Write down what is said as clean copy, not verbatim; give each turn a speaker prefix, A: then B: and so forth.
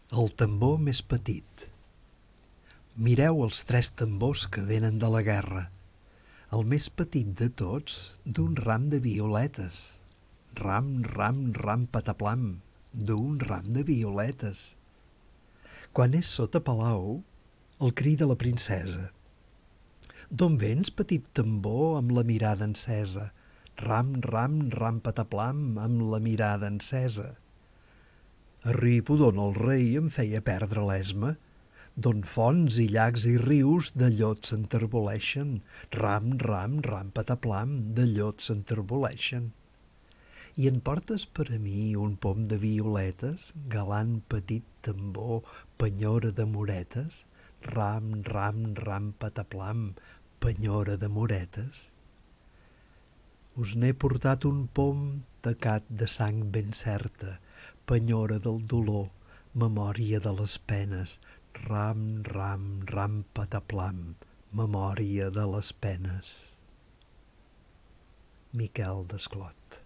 A: El tambor més petit. Mireu els 3 tambors que venen de la guerra. El més petit de tots, d'un ram de violetes. Ram, ram, ram, pataplam, d'un ram de violetes. Quan és sota palau, el cri de la princesa. D'on vens, petit tambor, amb la mirada encesa? Ram, ram, ram, pataplam, amb la mirada encesa. Arribo d'on el rei em feia perdre l'esma, d'on fonts i llacs i rius de llot s'enterboleixen, ram, ram, ram, pataplam, de llot s'enterboleixen. I en portes per a mi un pom de violetes, galant petit tambor, penyora de moretes, ram, ram, ram, pataplam, penyora de moretes. Us n'he portat un pom tacat de sang ben certa, penyora del dolor, memòria de les penes, ram, ram, ram, pataplam, memòria de les penes. Miquel Desclot.